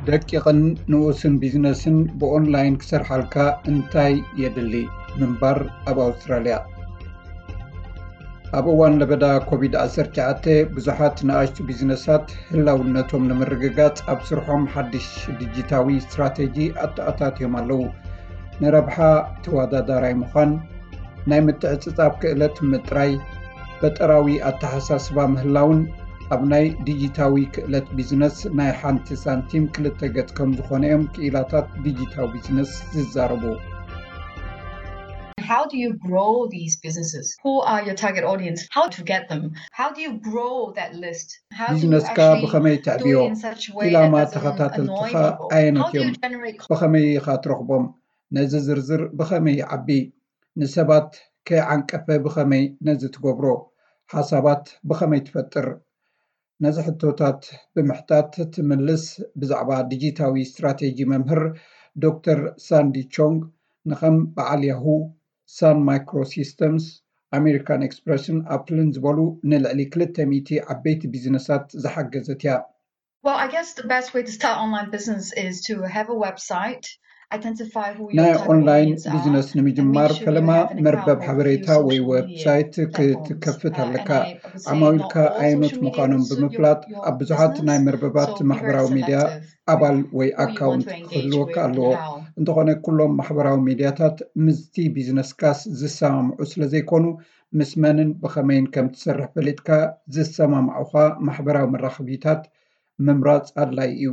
ደቂቕን ንኡስን ቢዝነስን ብኦንላይን ክሰርሓልካ እንታይ የድሊ? ምንባር ኣብ ኣውስትራልያ። ኣብ እዋን ለበዳ ኮቪድ ዓሰርተ ትሽዓተ ብዙሓት ንኣሽቱ ቢዝነሳት ህላውነቶም ንምርግጋጽ ኣብ ስርሖም ሓድሽ ዲጂታዊ ስትራቴጂ ኣተኣታትዮም ኣለዉ። ንረብሓ ተወዳዳራይ ምዃን፣ ናይ ምትዕጽጻፍ ክእለት ምጥራይ፣ ፈጠራዊ ኣተሓሳስባ ምህላውን ኣብ ናይ ዲጂታዊ ክእለት ቢዝነስ ናይ ሓንቲ ሳንቲም ክልተ ገጽ ከም ዝኾነ እዮም ክኢላታት ዲጂታዊ ቢዝነስ ዝዛረቡ። How do you grow these businesses? Who are your target audience? How to get them? How do you grow that list? How do you ቢዝነስካ actually ብኸመይ do it ተዕብዮ? in such a way ኢላማ that doesn't ተኸታተልትኻ annoy people? How ኣየኖት do you እዮም? Generate ብኸመይ ኢኻ ትረኽቦም? ነዚ ዝርዝር ብኸመይ ይዓቢ? ንሰባት ከይዓንቀፈ ብኸመይ ነዚ ትገብሮ? ሓሳባት ብኸመይ ትፈጥር? ነዚ ሕቶታት ብምሕታት ትምልስ ብዛዕባ ዲጂታዊ ስትራቴጂ መምህር ዶክተር ሳንዲ ቾንግ ንኸም በዓል ያሁ፣ ሳን ማይክሮ ሲስተምስ፣ ኣሜሪካን ኤክስፕረስን ኣፕልን ዝበሉ ንልዕሊ ክልተ ሚእቲ ዓበይቲ ቢዝነሳት ዝሓገዘት እያ። Well, I guess the best way to start online business is to have a website, identify who your ናይ target ኦንላይን audience are, ቢዝነስ and make ንምጅማር sure you ፈለማ have an account መርበብ with a few ሓበሬታ ወይ social media ዌብሳይት platforms. ክትከፍት Uh, ኣለካ። and I would say not ዓማዊልካ all ኣየኖት social media ምዃኖም will suit your, ብምፍላጥ your ኣብ ብዙሓት ናይ business, መርበባት so be very ማሕበራዊ ሚድያ selective ኣባል with ወይ who you want ኣካውንት to engage ክህልወካ with ኣለዎ። and how. እንተኾነ ኩሎም ማሕበራዊ ሚድያታት ምስቲ ቢዝነስካስ ዝሰማምዑ ስለ ዘይኮኑ ምስ መንን ብኸመይን ከም ትሰርሕ ፈሊጥካ ዝሰማማዑኻ ማሕበራዊ መራኸቢታት ምምራጽ ኣድላዪ እዩ።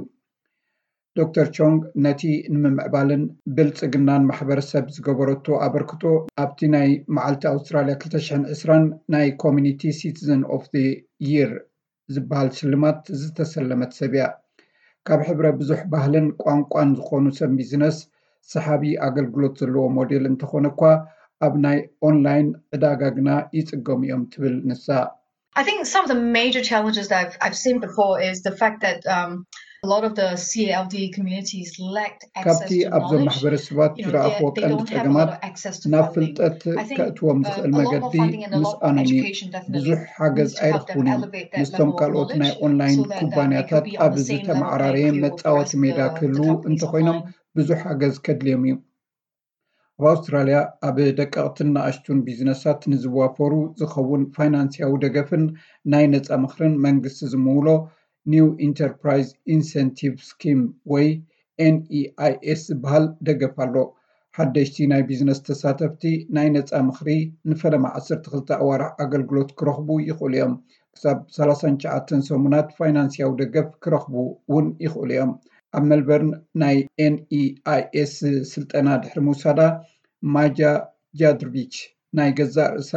ዶክተር ቾንግ ነቲ ንምምዕባልን ብልጽግናን ማሕበረሰብ ዝገበረቶ ኣበርክቶ ኣብቲ ናይ መዓልቲ ኣውስትራልያ ክልተ ሽሕን ዕስራን ናይ ኮሚኒቲ ሲቲዘን ኦፍ ዘ ይር ዝበሃል ሽልማት ዝተሰለመት ሰብ እያ። ካብ ሕብረ ብዙሕ ባህልን ቋንቋን ዝኾኑ ሰብ ቢዝነስ ሰሓቢ ኣገልግሎት ዘለዎ ሞዴል እንተኾነ እኳ ኣብ ናይ ኦንላይን ዕዳጋ ግና ይጽገሙ እዮም ትብል ንሳ። I think some of the major challenges that I've, I've seen before is the fact that um, a lot of the C A L D communities lacked access ካብቲ to ኣብዞም knowledge. ማሕበረሰባት You know, ዝረኣኽዎ they, they ቀንዲ don't have a ጸገማት lot of access to ናብ funding. ፍልጠት I think ከእትዎም um, ዝኽእል a lot more መገዲ funding and a lot more ምስኣኖም እዩ። education definitely ብዙሕ ሓገዝ needs to help them ኣይረኽቡን እዮም። Elevate that ምስቶም level of ካልኦት ናይ knowledge ኦንላይን so that um, they ኩባንያታት could be on ኣብ the same level ዝተመዓራረየ playing field መጻወቲ as ሜዳ the, ክህልዉ the companies እንተኾይኖም online. ብዙሕ ሓገዝ ከድልዮም እዩ። ኣብ ኣውስትራልያ ኣብ ደቀቕትን ንኣሽቱን ቢዝነሳት ንዝዋፈሩ ዝኸውን ፋይናንስያዊ ደገፍን ናይ ነጻ ምኽርን መንግስቲ ዝምውሎ ኒው ኢንተርፕራይዝ ኢንሰንቲቭ ስኪም ወይ ኤንኢኣይኤስ ዝበሃል ደገፍ ኣሎ። ሓደሽቲ ናይ ቢዝነስ ተሳተፍቲ ናይ ነጻ ምኽሪ ንፈለማ ዓሰርተ ክልተ ኣዋርሕ ኣገልግሎት ክረኽቡ ይኽእሉ እዮም። ክሳብ ሰላሳን ትሽዓተን ሰሙናት ፋይናንስያዊ ደገፍ ክረኽቡ እውን ይኽእሉ እዮም። ኣብ ሜልበርን ናይ ኤንኢኣይኤስ ስልጠና ድሕሪ ምውሳዳ ማጃ ጃድርቪች ናይ ገዛእ ርእሳ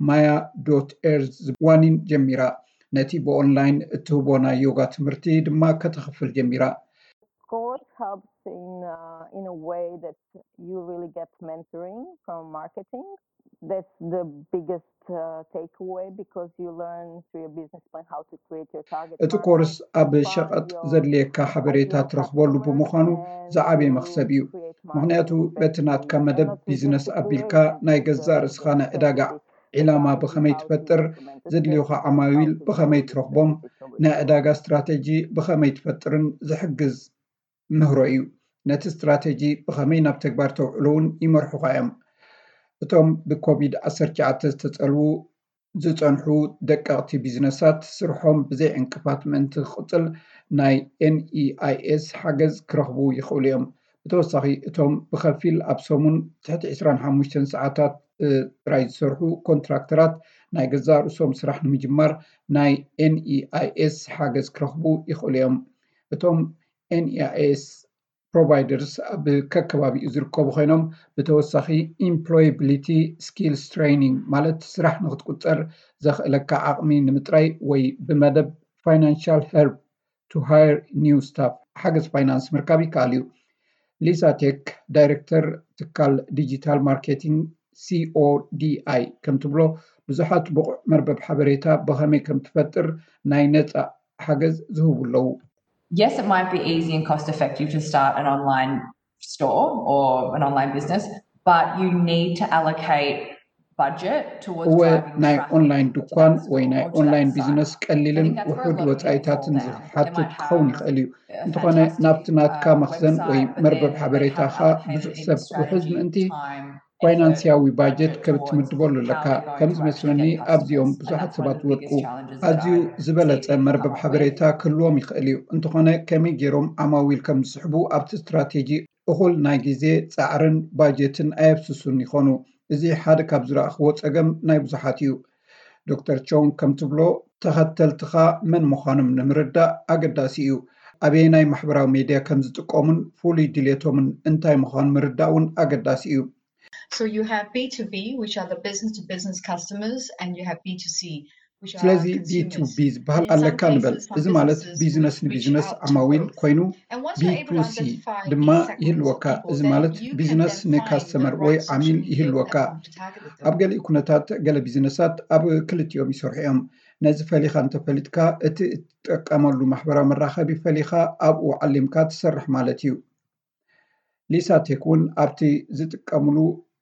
ማያ ዶት ኤርዝ ዋኒን ጀሚራ። ነቲ ብኦንላይን እትህቦ ናይ ዮጋ ትምህርቲ ድማ ከተኽፍል ጀሚራ። Course helps in uh, in a way that you really get mentoring from marketing. That's the biggest uh, takeaway because you learn through your business plan how to create your target. እቲ ኮርስ ኣብ ሸቐጥ ዘድልየካ ሓበሬታ ትረኽበሉ ብምዃኑ ዝዓበየ መኽሰብ እዩ። ምኽንያቱ በቲ ናትካ መደብ ቢዝነስ ኣቢልካ ናይ ገዛእ ርእስኻ ናይ ዕዳጋ ዒላማ ብኸመይ ትፈጥር፣ ዘድልዩኻ ዓማዊል ብኸመይ ትረኽቦም፣ ናይ ዕዳጋ ስትራተጂ ብኸመይ ትፈጥርን ዝሕግዝ ምህሮ እዩ። ነቲ ስትራተጂ ብኸመይ ናብ ተግባር ተውዕሎ እውን ይመርሑኻ እዮም። እቶም ብኮቪድ ዓሰርተ ትሽዓተ ዝተጸልዉ ዝጸንሑ ደቀቕቲ ቢዝነሳት ስርሖም ብዘይ ዕንቅፋት ምእንቲ ክቕጽል ናይ ኤንኢኣይኤስ ሓገዝ ክረኽቡ ይኽእሉ እዮም። ብተወሳኺ እቶም ብኸፊል ኣብ ሰሙን ትሕቲ ዕስራን ሓሙሽተን ሰዓታት ጥራይ ዝሰርሑ ኮንትራክተራት ናይ ገዛእ ርእሶም ስራሕ ንምጅማር ናይ ኤንኢኣይኤስ ሓገዝ ክረኽቡ ይኽእሉ እዮም። እቶም ኤንኢኣይኤስ ፕሮቫይደርስ ኣብ ከከባቢኡ ዝርከቡ ኮይኖም ብተወሳኺ ኢምፕሎያቢሊቲ ስኪልስ ትሬኒንግ ማለት ስራሕ ንክትቁፀር ዘኽእለካ ዓቕሚ ንምጥራይ ወይ ብመደብ ፋይናንሻል ሄልፕ to hire new staff ሓገዝ ፋይናንስ ምርካብ ይከኣል እዩ። ሊሳ ቴክ ዳይሬክተር ትካል ዲጂታል ማርኬቲንግ ሲኦዲኣይ ከም ትብሎ ብዙሓት ብቑዕ መርበብ ሓበሬታ ብኸመይ ከም ትፈጥር ናይ ነፃ ሓገዝ ዝህቡ ኣለዉ። Yes, it might be easy and cost effective to start an online store or an online business, but you need to allocate እወ፣ ናይ ኦንላይን ድኳን ወይ ናይ ኦንላይን ቢዝነስ ቀሊልን ውሑድ ወፃኢታትን ዝሓትት ክኸውን ይኽእል እዩ። እንተኾነ ናብቲ ናትካ መኽዘን ወይ መርበብ ሓበሬታኻ ብዙሕ ሰብ ክውሕዝ ምእንቲ ፋይናንስያዊ ባጀት ከብ ትምድበሉ ኣለካ። ከም ዝመስለኒ ኣብዚኦም ብዙሓት ሰባት ዝወድቁ። ኣዝዩ ዝበለጸ መርበብ ሓበሬታ ክህልዎም ይኽእል እዩ። እንተኾነ ከመይ ገይሮም ዓማዊል ከም ዝስሕቡ ኣብቲ ስትራቴጂ እኹል ናይ ግዜ ጻዕርን ባጀትን ኣየፍስሱን ይኾኑ። እዚ ሓደ ካብ ዝረኣኽዎ ጸገም ናይ ብዙሓት እዩ። ዶክተር ቾንግ ከም ትብሎ ተኸተልትኻ መን ምዃኖም ንምርዳእ ኣገዳሲ እዩ። ኣበየናይ ማሕበራዊ ሜድያ ከም ዝጥቀሙን ፍሉይ ድሌቶምን እንታይ ምዃኑ ምርዳእ እውን ኣገዳሲ እዩ። So you have B two B, which are the business to business customers, and you have B two C, ስለዚ ቢ ቱ ቢ ዝበሃል ኣለካ ንበል። እዚ ማለት ቢዝነስ ንቢዝነስ ዓማዊል ኮይኑ፣ ቢ ቱ ሲ ድማ ይህልወካ። እዚ ማለት ቢዝነስ ንካስተመር ወይ ዓሚል ይህልወካ። ኣብ ገሊኡ ኩነታት ገለ ቢዝነሳት ኣብ ክልቲኦም ይሰርሑ እዮም። ነዚ ፈሊኻ እንተፈሊጥካ፣ እቲ እትጥቀመሉ ማሕበራዊ መራኸቢ ፈሊኻ ኣብኡ ዓሊምካ ትሰርሕ ማለት እዩ። ሊሳ ቴክ እውን ኣብቲ ዝጥቀምሉ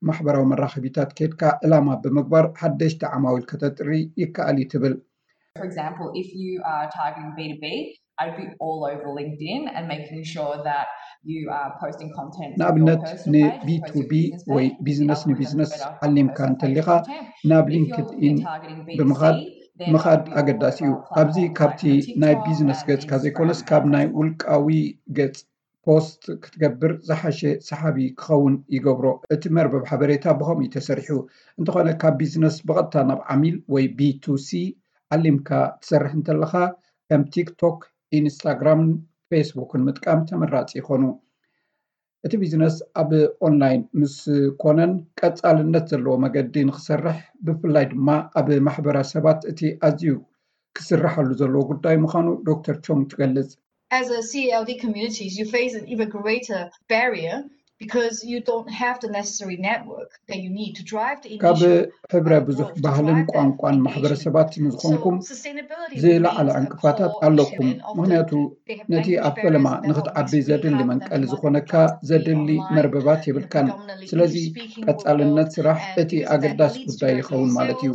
ማሕበራዊ መራኸቢታት ኬድካ ዕላማ ብምግባር ሓደሽቲ ዓማዊል ከተጥሪ ይከኣል እዩ ትብል። For example, if you are targeting B two B, I'd be all over LinkedIn and making sure that you are posting content. ንኣብነት ን ቢ ቱ ቢ ወይ ቢዝነስ ንቢዝነስ ዓሊምካ እንተሊኻ ናብ ሊንክድኢን ብምኻድ ምኻድ ኣገዳሲ እዩ። ኣብዚ ካብቲ ናይ ቢዝነስ ገጽካ ዘይኮነስ ካብ ናይ ውልቃዊ ገጽ ፖስት ክትገብር ዝሓሸ ሰሓቢ ክኸውን ይገብሮ። እቲ መርበብ ሓበሬታ ብኸምኡ እዩ ተሰሪሑ። እንተኾነ ካብ ቢዝነስ ብቐጥታ ናብ ዓሚል ወይ ቢ ቱ ሲ ዓሊምካ ትሰርሕ እንተለኻ ከም ቲክቶክ፣ ኢንስታግራምን ፌስቡክን ምጥቃም ተመራፂ ይኾኑ። እቲ ቢዝነስ ኣብ ኦንላይን ምስ ኮነን ቀፃልነት ዘለዎ መገዲ ንክሰርሕ ብፍላይ ድማ ኣብ ማሕበረሰባት እቲ ኣዝዩ ክስራሓሉ ዘለዎ ጉዳይ ምዃኑ ዶክተር ቾንግ ትገልጽ። As a C E L D communities, you face an even greater barrier because you don't have the necessary network that you need to drive the ካብ initial ሕብረ ብዙሕ ባህልን ቋንቋን ማሕበረሰባት ንዝኾንኩም ዝለዓለ ዕንቅፋታት ኣለኩም። ምክንያቱ ነቲ ኣብ ፈለማ ንክትዓቢ ዘድሊ መንቀሊ ዝኾነካ ዘድሊ መርበባት የብልካን። ስለዚ ቀፃልነት ስራሕ እቲ ኣገዳሲ ጉዳይ ይኸውን ማለት እዩ።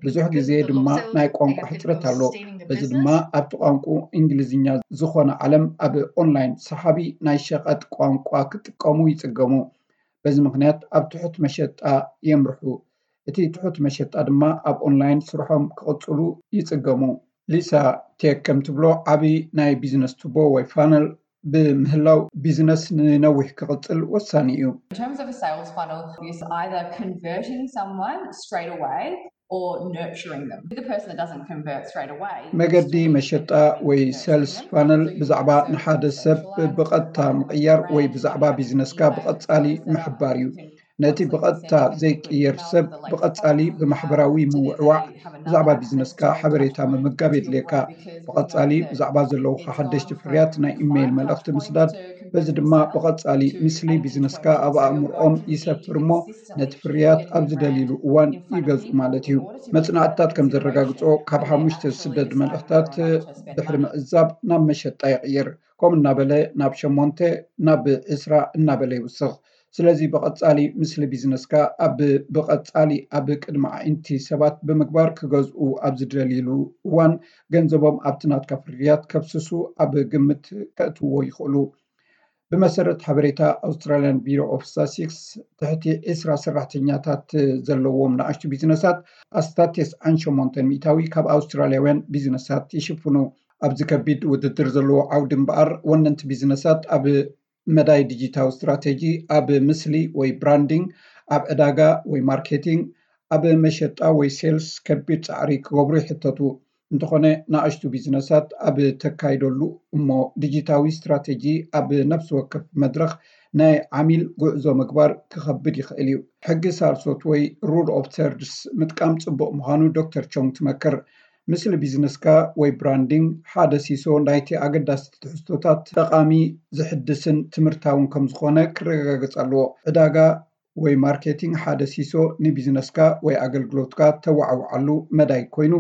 ብዙሕ ግዜ ድማ ናይ ቋንቋ ሕፅረት ኣሎ። በዚ ድማ ኣብቲ ቋንቋ እንግሊዝኛ ዝኾነ ዓለም ኣብ ኦንላይን ሰሓቢ ናይ ሸቐጥ ቋንቋ ክጥቀሙ ይፅገሙ። በዚ ምክንያት ኣብ ትሑት መሸጣ የምርሑ። እቲ ትሑት መሸጣ ድማ ኣብ ኦንላይን ስርሖም ክቕፅሉ ይፅገሙ። ሊሳ ቴክ ከም ትብሎ ዓብዪ ናይ ቢዝነስ ቱቦ ወይ ፋነል ብምህላው ቢዝነስ ንነዊሕ ክቕፅል ወሳኒ እዩ። In terms of a sales funnel, it's either converting someone straight away or nurturing them. The person that doesn't convert straight away. መገዲ መሸጣ ወይ ሰልስ ፋነል ብዛዕባ ንሓደ ሰብ ብቐጥታ ምቕያር ወይ ብዛዕባ ቢዝነስካ ብቐጻሊ ምሕባር እዩ። ነቲ ብቐጥታ ዘይቅየር ሰብ ብቐጻሊ ብማሕበራዊ ምውዕዋዕ ብዛዕባ ቢዝነስካ ሓበሬታ ምምጋብ የድልየካ። ብቐጻሊ ብዛዕባ ዘለውካ ሓደሽቲ ፍርያት ናይ ኢሜይል መልእኽቲ ምስዳድ፣ በዚ ድማ ብቐጻሊ ምስሊ ቢዝነስካ ኣብ ኣእምሮኦም ይሰፍር እሞ ነቲ ፍርያት ኣብ ዝደልይሉ እዋን ይገዝኡ ማለት እዩ። መጽናዕትታት ከም ዘረጋግጾ ካብ ሓሙሽተ ዝስደድ መልእኽታት ድሕሪ ምዕዛብ ናብ መሸጣ ይቕይር። ከምኡ እናበለ ናብ ሸሞንተ፣ ናብ ዕስራ እናበለ ይውስኽ። ስለዚ ብቐጻሊ ምስሊ ቢዝነስካ ኣብ ብቐጻሊ ኣብ ቅድሚ ኣዒንቲ ሰባት ብምግባር ክገዝኡ ኣብ ዝደልይሉ እዋን ገንዘቦም ኣብቲ ናትካ ፍርያት ከፍስሱ ኣብ ግምት ከእትዎ ይኽእሉ። ብመሰረት ሓበሬታ ኣውስትራልያን ቢሮ ኦፍ ስታስቲክስ ትሕቲ ዕስራ ሰራሕተኛታት ዘለዎም ንኣሽቱ ቢዝነሳት ኣስታት ተስዓን ሸሞንተን ሚእታዊ ካብ ኣውስትራልያውያን ቢዝነሳት ይሽፍኑ። ኣብዚ ከቢድ ውድድር ዘለዎ ዓውዲ እምበኣር ወነንቲ ቢዝነሳት ኣብ መዳይ ዲጂታዊ ስትራቴጂ፣ ኣብ ምስሊ ወይ ብራንዲንግ፣ ኣብ ዕዳጋ ወይ ማርኬቲንግ፣ ኣብ መሸጣ ወይ ሴልስ ከቢድ ጻዕሪ ክገብሩ ይሕተቱ። እንተኾነ ንኣሽቱ ቢዝነሳት ኣብ ተካይደሉ እሞ ዲጂታዊ ስትራቴጂ ኣብ ነፍሲ ወከፍ መድረኽ ናይ ዓሚል ጉዕዞ ምግባር ክኸብድ ይኽእል እዩ። ሕጊ ሳልሶት ወይ ሩል ኦፍ ተርድስ ምጥቃም ጽቡቕ ምዃኑ ዶክተር ቾንግ ትመክር። ምስሊ ቢዝነስካ ወይ ብራንዲንግ ሓደ ሲሶ ናይቲ ኣገዳሲ ትሕዝቶታት ጠቓሚ፣ ዝሕድስን ትምህርታውን ከም ዝኾነ ክረጋገጽ ኣለዎ። ዕዳጋ ወይ ማርኬቲንግ ሓደ ሲሶ ንቢዝነስካ ወይ ኣገልግሎትካ ተዋዕውዓሉ መዳይ ኮይኑ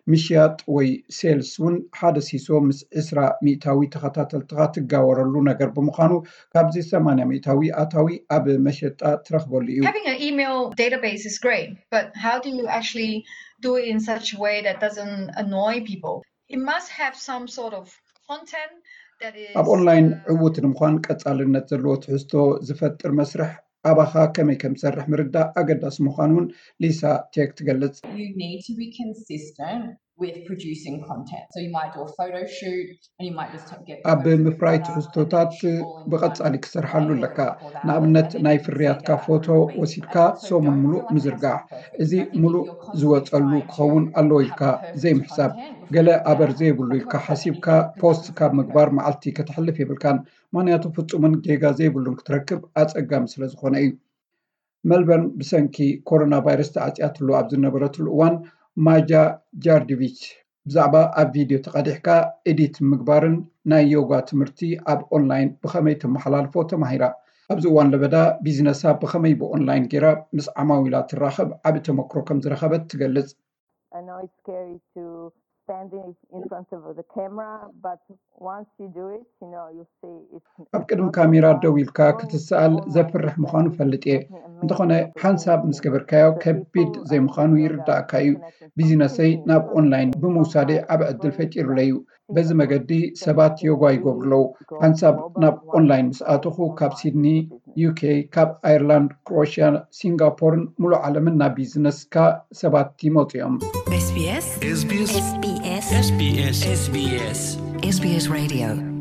ምሽያጥ ወይ ሴልስ እውን ሓደ ሲሶ ምስ ዕስራ ሚእታዊ ተኸታተልትኻ ትጋወረሉ ነገር ብምዃኑ ካብዚ ሰማንያ ሚእታዊ ኣታዊ ኣብ መሸጣ ትረኽበሉ እዩ። Having an email database is great, but how do you actually do it in such a way that doesn't annoy people? It must have some sort of content that is ኣብ ኦንላይን ዕዉት ንምዃን ቀጻልነት ዘለዎ ትሕዝቶ ዝፈጥር መስርሕ ኣባኻ ከመይ ከም ዝሰርሕ ምርዳእ ኣገዳሲ ምዃኑ እውን ሊሳ ቴክ ትገልጽ። You need to be consistent with producing content. So you might do a photo shoot and you might just get ኣብ ምፍራይ ትሕዝቶታት ብቐጻሊ ክሰርሓሉ ኣለካ። ንኣብነት ናይ ፍርያትካ ፎቶ ወሲድካ ሰሙን ሙሉእ ምዝርጋሕ፣ እዚ ሙሉእ ዝወጸሉ ክኸውን ኣለዎ ኢልካ ዘይምሕሳብ፣ ገለ ኣበር ዘይብሉ ኢልካ ሓሲብካ ፖስት ካብ ምግባር መዓልቲ ከተሕልፍ የብልካን። ምኽንያቱ ፍጹምን ጌጋ ዘይብሉን ክትረክብ ኣጸጋሚ ስለ ዝኾነ እዩ። መልበርን ብሰንኪ ኮሮና ቫይረስ ተዓጽያትሉ ኣብ ዝነበረትሉ እዋን ማጃ ጃርዲቪች ብዛዕባ ኣብ ቪድዮ ተቐዲሕካ ኤዲት ምግባርን ናይ ዮጋ ትምህርቲ ኣብ ኦንላይን ብኸመይ ተመሓላልፎ ተማሂራ። ኣብዚ እዋን ለበዳ ቢዝነሳ ብኸመይ ብኦንላይን ጌራ ምስ ዓማዊላ ትራኸብ ዓቢ ተመክሮ ከም ዝረኸበት ትገልጽ። I know it's scary to stand in, in front of the camera, but once you do it, you know, you see it's ኣብ ቅድሚ ካሜራ ደው ኢልካ ክትሰኣል ዘፍርሕ ምዃኑ ፈልጥ እየ። እንተኾነ ሓንሳብ ምስ ገበርካዮ ከቢድ ዘይምዃኑ ይርዳእካ እዩ። ቢዝነሰይ ናብ ኦንላይን ብምውሳደይ ዓቢ ዕድል ፈጢሩለይ እዩ። በዚ መገዲ ሰባት ዮጋ ይገብሩ ኣለዉ። ሓንሳብ ናብ ኦንላይን ምስ ኣተኹ ካብ ሲድኒ፣ ዩኬ፣ ካብ ኣየርላንድ፣ ክሮኤሽያ፣ ሲንጋፖርን ሙሉእ ዓለምን ናብ ቢዝነስካ ሰባት ይመፁ እዮም። SBS SBS SBS SBS SBS SBS Radio